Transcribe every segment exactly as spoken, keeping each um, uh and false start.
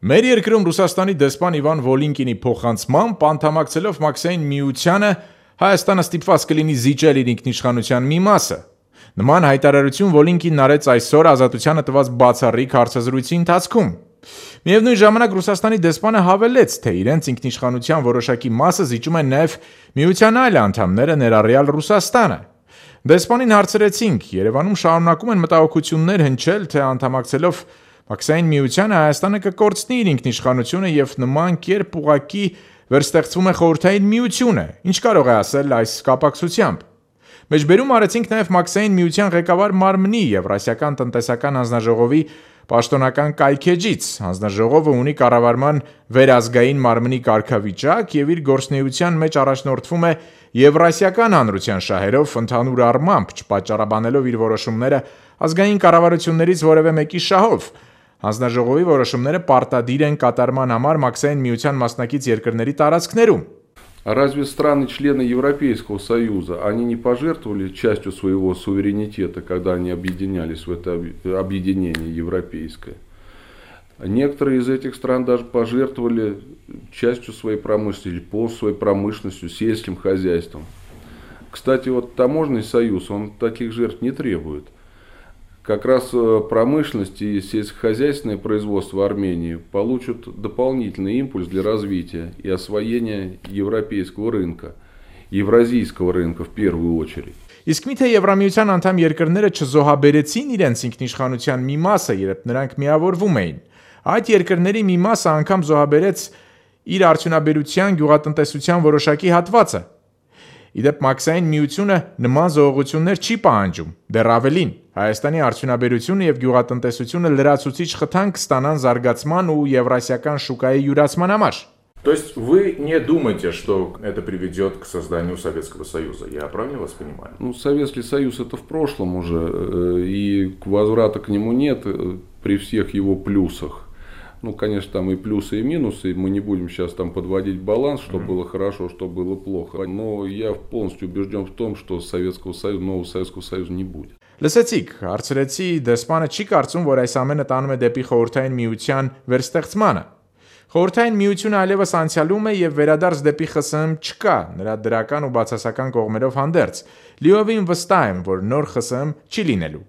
Մեր երկրում Ռուսաստանի դեսպան Իվան Վոլինկինի փոխանցմամբ անդամակցելով Մաքսային միությանը Հայաստանը ստիպված կլինի զիջել իր ինքնիշխանության մի մասը։ Նման հայտարարություն Վոլինկին արեց այսօր Ազատությանը տված բացառիկ հարցազրույցի ընթացքում։ Միևնույն ժամանակ Ռուսաստանի դեսպանը հավելեց, թե իրենց ինքնիշխանության որոշակի մասը զիջում են նաև միության այլ անդամները, ներառյալ Ռուսաստանը։ Դեսպանին հարցրեցինք, Երևանում շարունակում են մտահոգություններ հնչել, թե անդամակցելով Մաքսային միությանը Հայաստանը կկորցնի իր ինքնիշխանությունը եւ նման կերպ ուղղակի վերստեղծվում է խորհրդային միությունը։ Ինչ կարող է ասել այս կապակցությամբ։ Մեջբերում արեցինք նաև Մաքսային միության ղեկավար մարմնի Եվրասիական տնտեսական հանձնաժողովի պաշտոնական կայքեջից։ Հանձնաժողովը ունի կառավարման վերազգային մարմնի կարգավիճակ եւ իր գործունեության մեջ առաջնորդվում է Եվրասիական հանրության շահերով, ընդհանուր առմամբ չպատճառաբանելով իր որոշումները ազգային կառավարություններից որևէ մեկի շահով։ Հանձնաժողովի որոշումները պարտադիր են կատարման համար Մաքսային միության մասնակից երկրների տարածքներում։ Разве страны-члены Европейского Союза, они не пожертвовали частью своего суверенитета, когда они объединялись в это объединение европейское? Некоторые из этих стран даже пожертвовали частью своей промышленности, полностью своей промышленностью, сельским хозяйством. Кстати, вот таможенный союз, он таких жертв не требует. Как раз промышленность и сельскохозяйственное производство Армении получат дополнительный импульс для развития и освоения европейского рынка, евразийского рынка в первую очередь. Իսկ միթե Եվրամիության անդամ երկրները չզոհաբերեցին իրենց ինքնիշխանության մի մասը, երբ նրանք միավորվում էին։ Այդ երկրների մի մասը անգամ զոհաբերեց իր արդյունաբերության, գյուղատնտեսության որոշակի հատվածը։ Իդեպ Մաքսային միությունը նման զոհողություններ չի պահանջում, դեռ ավելին, Հայաստանի արդյունաբերությունը եւ գյուղատնտեսությունը լրացուցիչ խթանք կստանան զարգացման ու եվրասիական շուկայի յուրացման համար։ То есть вы не думаете, что это приведет к созданию Советского Союза? Я правильно вас понимаю? Ну, Советский Союз это в прошлом уже, и возврата к нему нет при всех его плюсах. Ну, конечно, там и плюсы, и минусы, мы не будем сейчас там подводить баланс, что mm-hmm. было хорошо, что было плохо. Но я полностью убежден в том, что Советского Союза, нового Советского Союза не будет. Լսեցիք, հարցրեցի, դեսպանը չի կարծում, որ այս ամենը տանում է դեպի խորհրդային միության վերստեղծմանը։ Խորհրդային միությունը այլևս անցյալում է եւ վերադարձ դեպի ԽՍՀՄ չկա, նրա դրական ու բացասական կողմերով հանդերձ։ Լիովին վստահ եմ, որ նոր ԽՍՀՄ չի լինելու։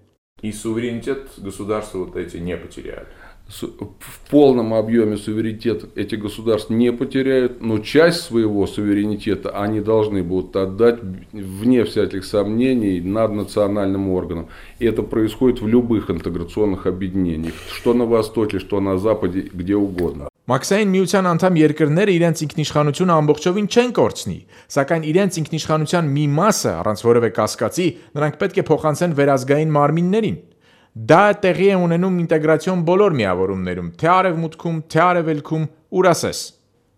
И суверенитет государства вот эти не потеряли. В полном объеме суверенитет эти государства не потеряют, но часть своего суверенитета они должны будут отдать, вне всяких сомнений, наднациональным органам. И это происходит в любых интеграционных объединениях, что на Востоке, что на Западе, где угодно. Մաքսային միության անդամ երկրները իրենց ինքնիշխանությունը ամբողջովին չեն կորցնի, սակայն իրենց ինքնիշխանության մի մասը, առանց որևէ կասկածի, նրանք պետք է փոխանցեն վերազգային մարմիններին։ Դա տեղի է ունենում ինտեգրացիոն բոլոր միավորումներում, թե արևմուտքում, թե արևելքում, ուր ասես։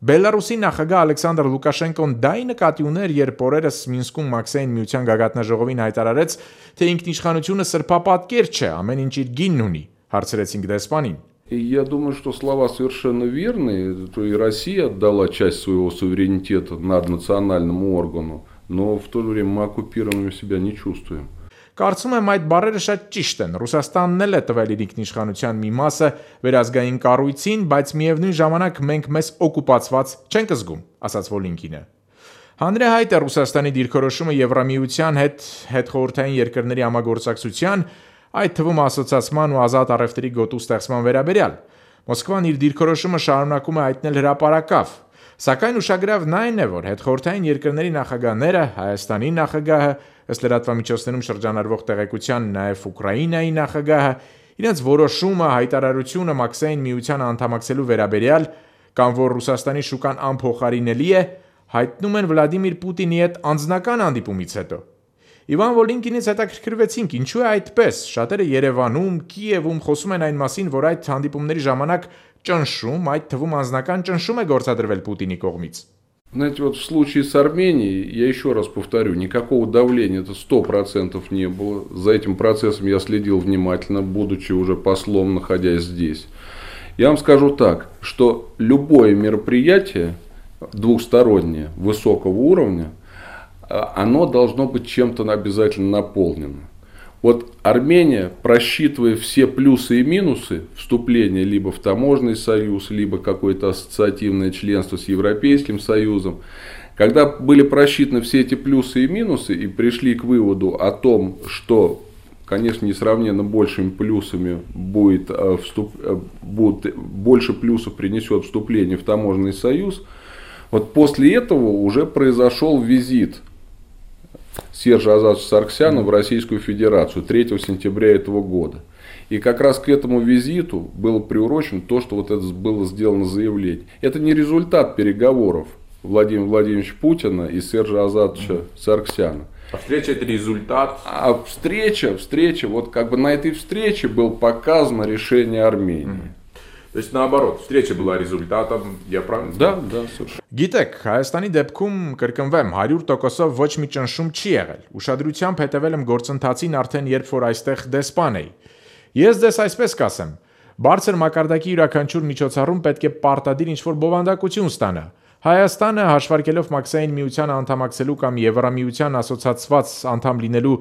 Բելարուսի նախագահ Ալեքսանդր Լուկաշենկոն դա նկատի ուներ, երբ օրերս Մինսկում Մաքսային միության գագաթնաժողովին հայտարարեց, թե ինքնիշխանությունը սրբապատկեր չէ, ամեն ինչ իր գինն ունի, հարցրեցինք դեսպանին։ И я думаю, что слова совершенно верные, что и Россия отдала часть своего суверенитета наднациональному органу, но в то же время мы оккупированными себя не чувствуем. Կարծում եմ այդ բառերը շատ ճիշտ են։ Ռուսաստանն էլ է տվել իր ինքնիշխանության մի մասը վերազգային կառույցին, բայց միևնույն ժամանակ մենք մեզ օկուպացված չենք զգում, ասաց Վոլինկինը։ Հանրահայտ է Ռուսաստանի դիրքորոշումը Եվրամիության հետ հետխորհրդային երկրների համագործակցության, այդ թվում ասոցիացման ու ազատ առևտրի գոտու ստեղծման վերաբերյալ։ Մոսկվան իր դիրքորոշումը շարունակում է հայտնել հրապարակավ, սակայն ուշագրավն այն է, որ հետխորհրդային երկրների նախագահները, Հայաստանի նախագահը, ըստ լրատվամիջոցներում շրջանառվող տեղեկության նաև Ուկրաինայի նախագահը, իրենց որոշումը, հայտարարությունը Մաքսային միության անդամակցելու վերաբերյալ, կամ որ Ռուսաստանի շուկան անփոխարինելի է, հայտնում են Վլադիմիր Պուտինի հետ անձնական հանդիպումից հետո։ Իվան Վոլինկինից հետաքրքրվեցինք, ինչու է այդպես։ Շատերը Երևանում, Կիևում խոսում են այն մասին, որ այդ հանդիպումների ժամանակ ճնշում, այդ թվում անձնական ճնշում է գործադրվել Պուտինի կողմից։ Знаете, вот в случае с Арменией, я еще раз повторю, никакого давления это сто процентов не было. За этим процессом я следил внимательно, будучи уже послом, находясь здесь. Я вам скажу так, что любое мероприятие двухстороннее, высокого уровня, оно должно быть чем-то обязательно наполнено. Вот Армения, просчитывая все плюсы и минусы вступления либо в таможенный союз, либо какое-то ассоциативное членство с Европейским Союзом, когда были просчитаны все эти плюсы и минусы и пришли к выводу о том, что, конечно, несравненно большими плюсами будет, вступ, будет больше плюсов принесет вступление в таможенный союз, вот после этого уже произошел визит Сержа Азатовича Саргсяна в Российскую Федерацию третьего сентября этого года. И как раз к этому визиту было приурочено то, что вот это было сделано заявление. Это не результат переговоров Владимира Владимировича Путина и Сержа Азатовича Саргсяна. А встреча это результат? А встреча, встреча, вот как бы на этой встрече было показано решение Армении. Mm-hmm. То есть наоборот, встреча была результатом, я правильно? Да, да, совершенно. Գիտեք, Հայաստանի դեպքում կրկնվեմ հարյուր տոկոսով ոչ մի ճնշում չի եղել։ Ուշադրությամբ հետևել եմ գործընթացին արդեն երբ որ այստեղ դեսպան էի։ Ես ձեզ այսպես կասեմ, բարձր մակարդակի յուրաքանչյուր միջոցառում պետք է պարտադիր ինչ-որ բովանդակություն ստանա։ Հայաստանը հաշվարկելով Մաքսային միությանը անդամակցելու կամ Եվրամիության ասոցացված անդամ լինելու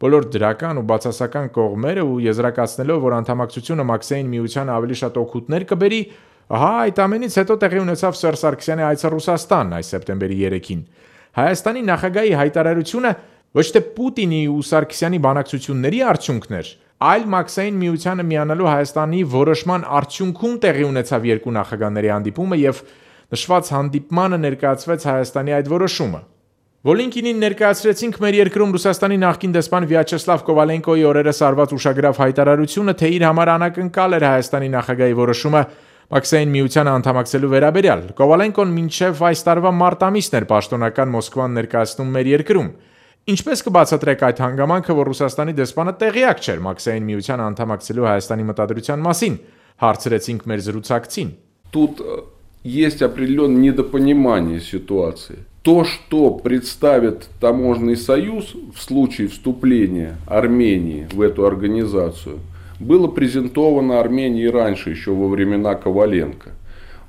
բոլոր դրական ու բացասական կողմերը ու եզրակացնելով, որ անդամակցությունը Մաքսային միությանը ավելի շատ օգուտներ կբերի, ահա այդ ամենից հետո տեղի ունեցավ Սերժ Սարգսյանի այցը Ռուսաստան այս սեպտեմբերի երեքին։ Հայաստանի նախագահի հայտարարությունը ոչ թե Պուտինի ու Սարգսյանի բանակցությունների արդյունքն էր, այլ Մաքսային միությանը միանալու Հայաստանի որոշման արդյունքում տեղի ունեցավ երկու նախագահների հանդիպումը եւ նշված հանդիպմանը ներկայացվեց Հայաստանի այդ որոշումը։ Վոլինկինին ներկայացրեցինք մեր երկրում Ռուսաստանի նախկին դեսպան Վյաչեսլավ Կովալենկոյի օրերս արված ուշագրավ հայտարարությունը, թե իր համար անակնկալ էր Հայաստանի նախագահի որոշումը Մաքսային միությանը անդամակցելու վերաբերյալ։ Կովալենկոն մինչև այս տարվա մարտ ամիսն էր պաշտոնական Մոսկվան ներկայացնում մեր երկրում։ Ինչպես կբացատրեք այդ հանգամանքը, որ Ռուսաստանի дեսպանը տեղյակ չէր Մաքսային միությանը անդամակցելու Հայաստանի մտադրության մասին, հարցրեցինք մեր զրուցակցին։ Тут есть определенное недопонимание ситуации. То, что представит таможенный союз в случае вступления Армении в эту организацию, было презентовано Армении раньше, еще во времена Коваленко.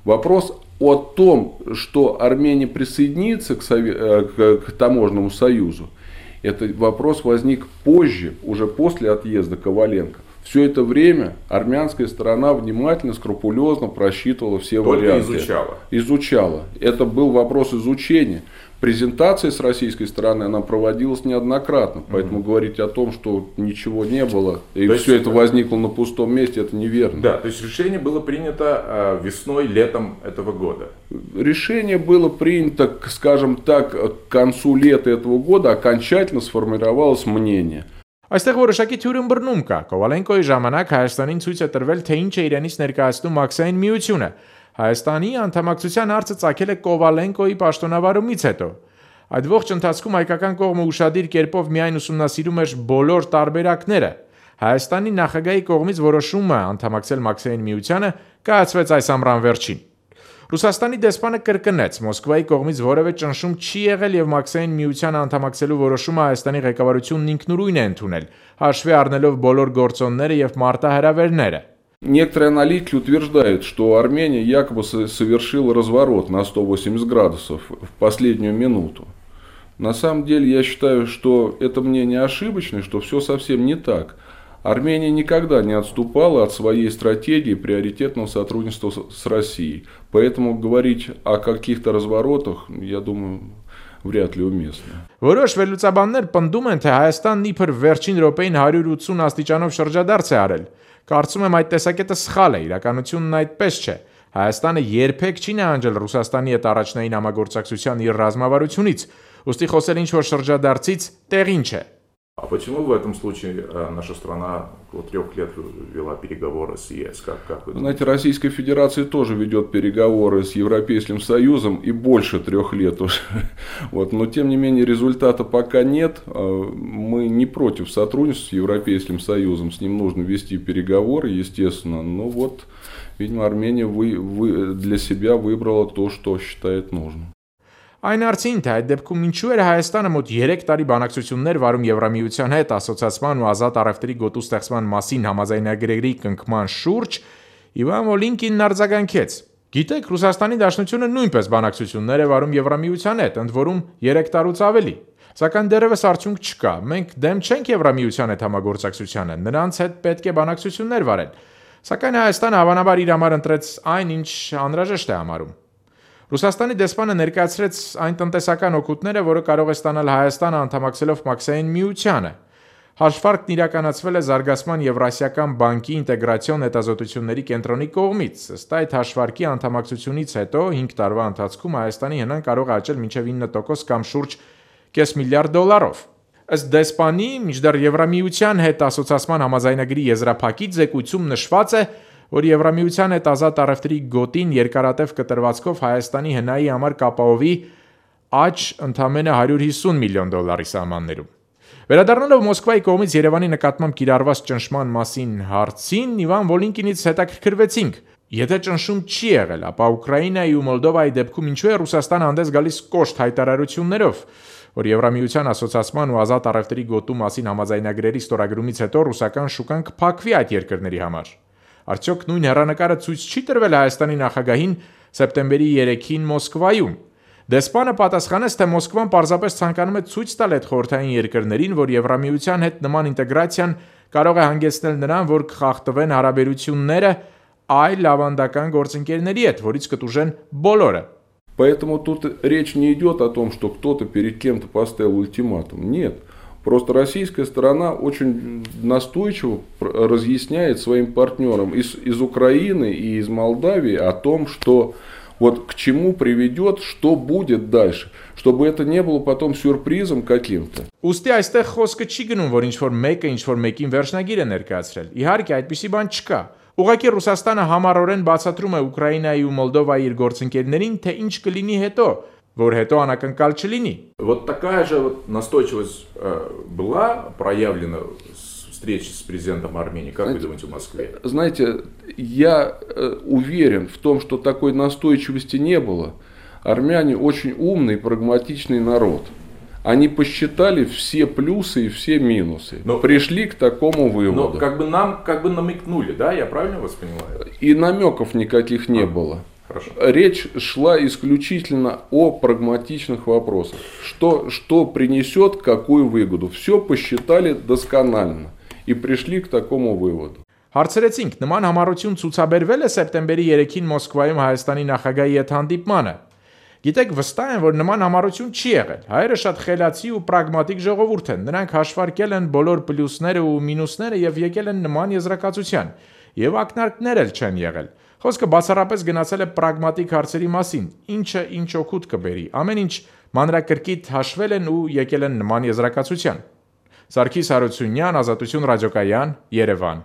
Вопрос о том, что Армения присоединится к, сове... к, к таможенному союзу, этот вопрос возник позже, уже после отъезда Коваленко. Все это время армянская сторона внимательно, скрупулезно просчитывала все Только варианты. изучала. Изучала. Это был вопрос изучения. Презентация с российской стороны она проводилась неоднократно. Поэтому mm-hmm. говорить о том, что ничего не было, и то все есть, это возникло на пустом месте, это неверно. Да, то есть решение было принято э, весной, летом этого года. Решение было принято, скажем так, к концу лета этого года окончательно сформировалось мнение. Այստեղ որոշակի թյուրին բռնում կա։ Կովալենկոյի ժամանակ Հայաստանին ցույց է տրվել, թե ինչ է իրենից ներկայացնում Մաքսային միությունը։ Հայաստանի անդամակցության հարցը ցակել է Կովալենկոյի պաշտոնավարումից հետո։ Այդ ողջ ընթացքում հայկական կողմը ուշադիր կերպով միայն ուսումնասիրում էր բոլոր տարբերակները։ Հայաստանի նախագահի կողմից որոշումը անդամակցել Մաքսային միությանը կայացվեց այս ամռան վերջին։ Ռուսաստանի դեսպանը կրկնեց, Մոսկվայի կողմից որևէ ճնշում չի եղել եւ Մաքսային միությանը անդամակցելու որոշումը Հայաստանի ղեկավարությունն ինքնուրույն է ընդունել, հաշվի առնելով բոլոր գործոնները եւ մարտահրավերները։ Некоторые аналитики утверждают, что Армения якобы совершила разворот на сто восемьдесят градусов в последнюю минуту. На самом деле я считаю, что это мнение ошибочное, что все совсем не так. Армения никогда не отступала от своей стратегии приоритетного сотрудничества с Россией. Поэтому говорить о каких-то разворотах, я думаю, վրյատ լի уместно։ Որոշ վերլուծաբաններ պնդում են, թե Հայաստանն իբր վերջին րոպեին հարյուր ութսուն աստիճանով շրջադարձ է արել։ Կարծում եմ այդ տեսակետը սխալ է, իրականությունն այդպես չէ։ Հայաստանը երբեք չի նահանջել Ռուսաստանի հետ առաջնային համագործակցության իր ռազմավարությունից, ուստի խոսել ինչ-որ շրջադարձից տեղին չէ։ А почему в этом случае наша страна около трех лет вела переговоры с ЕС? Как, как вы думаете? Знаете, Российская Федерация тоже ведет переговоры с Европейским Союзом и больше трех лет уже. Вот. Но тем не менее результата пока нет. Мы не против сотрудничества с Европейским Союзом. С ним нужно вести переговоры, естественно. Но вот, видимо, Армения вы, вы для себя выбрала то, что считает нужным. Այն արցին թե այդ դեպքում ինչու էր Հայաստանը մոտ երեք տարի բանակցություններ վարում Եվրամիության հետ ասոցիացման ու ազատ առևտրի գոտու ստեղծման մասին համաձայնագրերի կնքման շուրջ, Իվան Վոլինկինն արձագանքեց։ Գիտեք, Ռուսաստանի Դաշնությունը նույնպես բանակցություններ է վարում Եվրամիության հետ, ընդ որում երեք տարուց ավելի։ Սակայն դեռևս արդյունք չկա։ Մենք դեմ չենք Եվրամիության հետ համագործակցությանը, նրանց հետ պետք է բանակցություններ վարել։ Սակայն Հայաստանը հավանաբար իր համար ընտրեց այն, ինչ անհրաժեշտ է համարում։ Ռուսաստանի դեսպանը ներկայացրեց այն տնտեսական օգուտները, որը կարող է ստանալ Հայաստանը անդամակցելով Մաքսային միությանը։ Հաշվարկն իրականացվել է Զարգացման Եվրասիական բանկի ինտեգրացիոն հետազոտությունների կենտրոնի կողմից։ Ըստ այդ հաշվարկի անդամակցությունից հետո հինգ տարվա ընթացքում Հայաստանի հնան կարող է աճել մինչև ինը տոկոս կամ շուրջ կես միլիարդ դոլարով։ Ըստ դեսպանի, մինչդեռ Եվրամիության հետ ասոցիացման համաձայնագրի եզրափակիչ զեկույցում նշված է, որ Եվրամիության հետ ազատ առևտրի գոտին երկարատև կտրվածքով Հայաստանի հնայի համար կապահովի աճ ընդամենը հարյուր հիսուն միլիոն դոլարի սահմաններում։ Վերադառնալով Մոսկվայի կողմից Երևանի նկատմամբ կիրառված ճնշման մասին հարցին, Իվան Վոլինկինից հետաքրքրվեցինք. Եթե ճնշում չի եղել, ապա Ուկրաինայի ու Մոլդովայի դեպքում ինչու է Ռուսաստանը հանդես գալիս կոշտ հայտարարություններով, որ Եվրամիության ասոցիացման ու ազատ առևտրի գոտու մասին համաձայնագրերի ստորագրումից հետո ռուսական շուկան կփակվի այդ երկրների համար։ Արդյոք նույն հեռանկարը ցույց չի տրվել Հայաստանի նախագահին սեպտեմբերի երեքին Մոսկվայում։ Դեսպանը պատասխանեց, թե Մոսկվան պարզապես ցանկանում է ցույց տալ այդ խորհրդային երկրներին, որ Եվրամիության հետ նման ինտեգրացիան կարող է հանգեցնել նրան, որ կխախտվեն հարաբերությունները այլ ավանդական գործընկերների հետ, որից կտուժեն բոլորը։ Поэтому тут речь не идет о том, что кто-то перед кем-то поставил ультиматум. Нет. Просто российская сторона очень настойчиво разъясняет своим партнерам из, из Украины и из Молдавии о том, что вот к чему приведет, что будет дальше, чтобы это не было потом сюрпризом каким-то. Ուստի այստեղ խոսքը չի գնում, որ ինչ-որ մեկը ինչ-որ մեկին վերջնագիր է ներկայացրել։ Իհարկե, այդպիսի բան չկա։ Ուղղակի Ռուսաստանը համառորեն бацаտրում է Ուկրաինայի ու Մոլդովայի իր գործընկերներին, թե ինչ կլինի հետո, որ հետո անակնկալ չլինի։ Вот такая же вот настойчивость э, была проявлена с встречи с президентом Армении, как вы думаете, в Москве? Знаете, я э, уверен в том, что такой настойчивости не было. Армяне очень умный, прагматичный народ. Они посчитали все плюсы и все минусы, но пришли к такому выводу. Но как бы нам как бы намекнули, да, я правильно вас понимаю? И намеков никаких не а, было. Хорошо. Речь шла исключительно о прагматичных вопросах. Что, что принесет какую выгоду. Все посчитали досконально и пришли к такому выводу. Հարցրեցինք, նման համառություն ցուցաբերվել է սեպտեմբերի երեքին Մոսկվայում Հայաստանի նախագահի հետ հանդիպմանը։ Գիտեք, վստահ եմ, որ նման համառություն չի եղել։ Հայերը շատ խելացի ու պրագմատիկ ժողովուրդ են։ Նրանք հաշվարկել են բոլոր պլյուսները ու մինուսները եւ եկել են նման եզրակացության։ Եվ ակնարկներ էլ չեն եղել։ Խոսքը բացառապես գնացել է պրագմատիկ հարցերի մասին, ինչը ինչ օգուտ կբերի։ Ամեն ինչ մանրակրկիտ հաշվել են ու եկել են նման եզրակացության։ Սարգիս Հարությունյան, Ազատություն ռադիոկայան, Երևան։